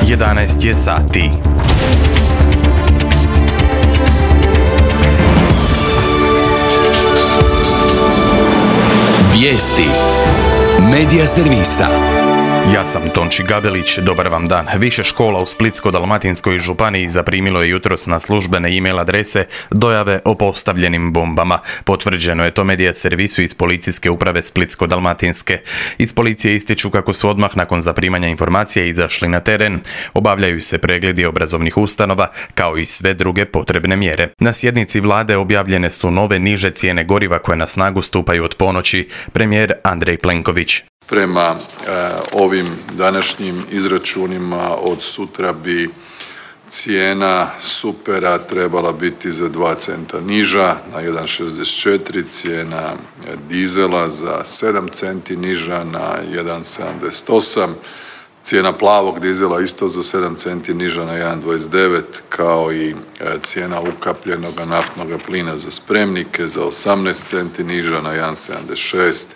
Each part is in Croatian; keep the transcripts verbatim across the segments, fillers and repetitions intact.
jedanaest je sati. Vijesti Medija servisa. Ja sam Tonči Gabelić, dobar vam dan. Više škola u Splitsko-dalmatinskoj županiji zaprimilo je jutros na službene e-mail adrese dojave o postavljenim bombama. Potvrđeno je to Medija servisu iz policijske uprave Splitsko-dalmatinske. Iz policije ističu kako su odmah nakon zaprimanja informacija izašli na teren. Obavljaju se pregledi obrazovnih ustanova, kao i sve druge potrebne mjere. Na sjednici vlade objavljene su nove niže cijene goriva koje na snagu stupaju od ponoći. Premijer Andrej Plenković. Prema e, ovim današnjim izračunima od sutra bi cijena supera trebala biti za dva centa niža na jedan šezdeset četiri, cijena dizela za sedam centi niža na jedan sedamdeset osam, cijena plavog dizela isto za sedam centi niža na jedan dvadeset devet, kao i cijena ukapljenog naftnog plina za spremnike za osamnaest centi niža na jedan sedamdeset šest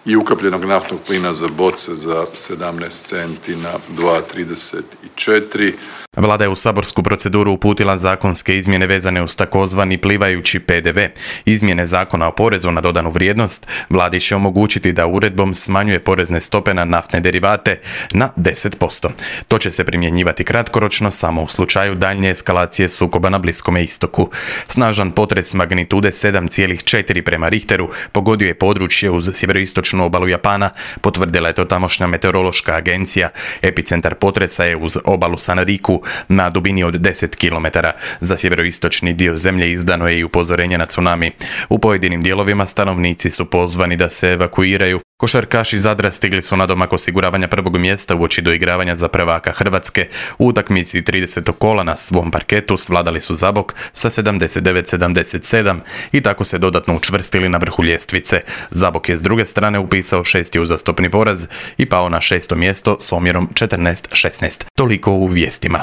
i ukapljenog naftnog plina za boce za sedamnaest centi na dva trideset četiri. Vlada je u saborsku proceduru uputila zakonske izmjene vezane uz takozvani plivajući P D V. Izmjene Zakona o porezu na dodanu vrijednost vladi će omogućiti da uredbom smanjuje porezne stope na naftne derivate na deset posto. To će se primjenjivati kratkoročno samo u slučaju daljnje eskalacije sukoba na Bliskome istoku. Snažan potres magnitude sedam zarez četiri prema Richteru pogodio je područje uz sjeveroistočnu obalu Japana, potvrdila je to tamošnja meteorološka agencija. Epicentar potresa je uz obalu Sanriku na dubini od deset kilometara. Za sjeveroistočni dio zemlje izdano je i upozorenje na tsunami. U pojedinim dijelovima stanovnici su pozvani da se evakuiraju. Košarkaši Zadra stigli su na domak osiguravanja prvog mjesta uoči doigravanja za prvaka Hrvatske. U utakmici tridesetog kola na svom parketu svladali su Zabok sa sedamdeset devet sedamdeset sedam i tako se dodatno učvrstili na vrhu ljestvice. Zabok je s druge strane upisao šesti uzastopni poraz i pao na šesto mjesto s omjerom četrnaest šesnaest. Toliko u vijestima.